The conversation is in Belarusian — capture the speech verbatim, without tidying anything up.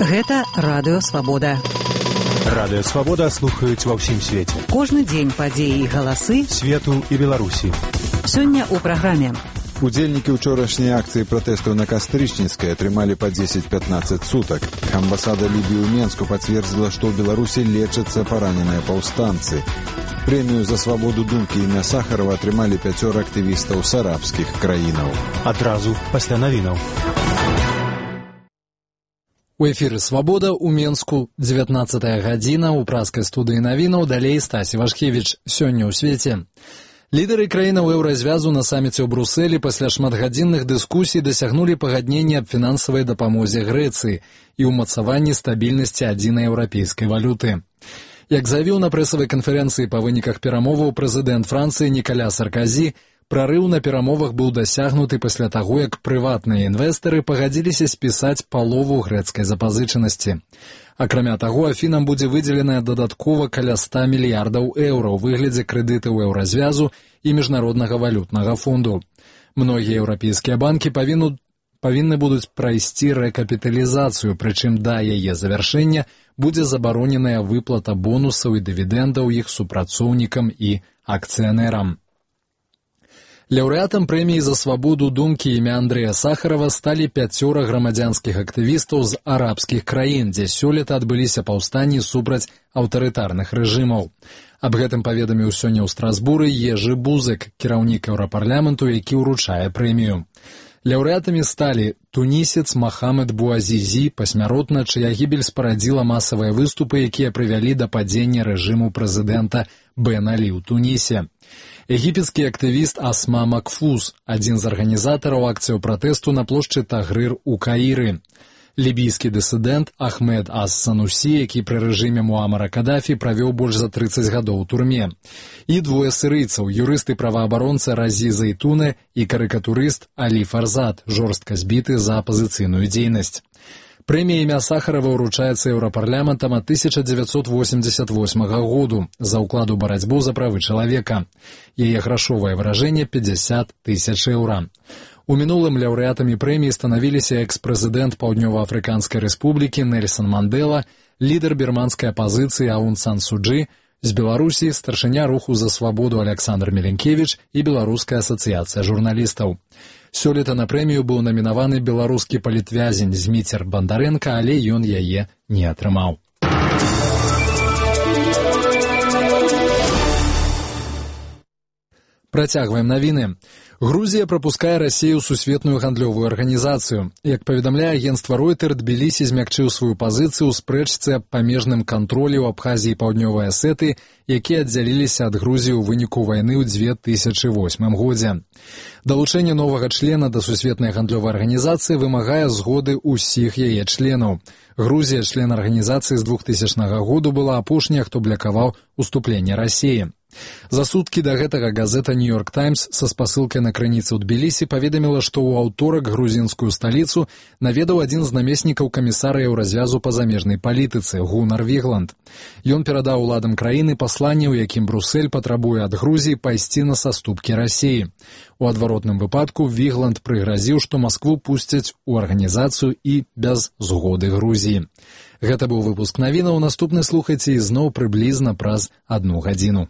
Гэта Радыё Свабода. Радыё Свабода слухаюць ва ўсім свеце. Кожны дзень падзеі і галасы свету і Беларусі. Сёння ў праграме. Удзельнікі ўчорашняй акцыі пратэсту на Кастрычніцкай атрымалі па дзесяць-пятнаццаць сутак. Амбасада Лібіі ў Менску пацвердзіла, што ў Беларусі лечацца параненыя паўстанцы. Прэмію за свабоду думкі імя Сахарова атрымалі пяцёра актывістаў з арабскіх краінаў. Адразу пасля навінаў. У эфіры «Свабода» у Менску, дзевятнаццатая гадзіна, у праскай студыі навінаў, далей Стасі Вашкевіч. Сёння ў свеце. Лідары краінаў еўразвязу на саміце ў Брусэлі пасля шматгадзінных дыскусій дасягнулі пагаднення аб фінансавай дапамозе Грэцыі і ўмацаванні стабільнасці адзінай еўрапейскай валюты. Як заявіў на прэсавай канферэнцыі па выніках перамоваў прэзідэнт Францыі Нікаля Сарказі, прарыў на перамовах быў дасягнуты пасля таго, як прыватныя інвестары пагадзіліся спісаць палову грэцкай запазычанасці. Акрамя таго, Афінам будзе выдзеленая дадаткова каля ста мільярдаў еўра ў выглядзе крэдытаў еўразвязу і міжнароднага валютнага фонду. Многія еўрапейскія банкі павінны, павінны будуць прайсці рэкапіталізацыю, прычым да яе завяршэння будзе забароненая выплата бонусаў і дывідэндаў іх супрацоўнікам і акцыянерам. Лаўрэатам прэміі за свабоду думкі імя Андрэя Сахарова сталі пяцёра грамадзянскіх актывістаў з арабскіх краін, дзе сёлета адбыліся паўстанні супраць аўтарытарных рэжымаў. Аб гэтым паведаміў сёння ў Страсбуры Ежы Бузык, кіраўнік еўрапарламенту, які ўручае прэмію. Лаўрэатамі сталі тунісец Махамед Буазізі, пасмяротна, чыя гібель спарадзіла масавыя выступы, якія прывялі да падзення рэжыму прэзідэнта Бен Алі ў Тунісе. Егіпецкі актывіст Асма Макфуз, адзін з арганізатараў акцыяў пратэсту на плошчы Тагрыр у Каіры. Лібійскі дысідэнт Ахмед Ас-Санусі, які пры рэжыме Муамара Кадафі правёў больш за трыццаць гадоў у турме. І двое сырыйцаў, юрыст і праваабаронца Разі Зайтуне і карыкатурыст Алі Фарзад, жорстка збіты за апазіцыйную дзейнасць. Прэмія імя Сахарова ўручаецца еўрапарламентам ад тысяча дзевяцьсот восемьдесят восьмага году за ўклад у барацьбу за правы чалавека. Яе грашовае выражэнне пятьдесят тысяч еўра. У мінулым лаўрэатамі прэміі станавіліся экс-прэзідэнт Паўднёва-Афрыканскай рэспублікі Нельсан Мандэла, лідар бірманскай апазіцыі Аун Сан Суджы, з Беларусі старшыня руху за свабоду Аляксандр Меленкевіч і Беларуская асацыяцыя журналістаў. Сёлета на прэмію быў намінаваны беларускі палітвязень Зміцер Бандарэнка, але ён яе не атрымаў. Працягваем навіны. Грузія прапускае Расію ў сусветную гандлёвую арганізацыю. Як паведамляе агенцтва Ройтер, Тбілісі змякчыў сваю пазіцыю ў спрэчцы аб памежным кантролі ў Абхазіі і Паўднёвай Асетыі, якія аддзяліліся ад Грузіі ў выніку вайны ў дзве тысячы восьмым годзе. Далучэнне новага члена да сусветнай гандлёвай арганізацыі вымагае згоды ўсіх яе членаў. Грузія, член арганізацыі з двухтысячнага году, была апошняя, хто блакаваў уступленне Расіі. За суткі да гэтага газета «Нью-Йорк Таймс» са спасылкай на крыніцы ў Тбілісі паведаміла, што ў аўторак грузінскую сталіцу наведаў адзін з намеснікаў камісара еўразвязу па замежнай палітыцы Гунар Вігланд. Ён перадаў уладам краіны пасланне, у якім Брусэль патрабуе ад Грузіі пайсці на саступкі Расіі. У адваротным выпадку Вігланд прыгразіў, што Маскву пусцяць у арганізацыю і без згоды Грузіі. Гэта быў выпуск навінаў. Наступны слухайце ізноў прыблізна праз адну гадзіну.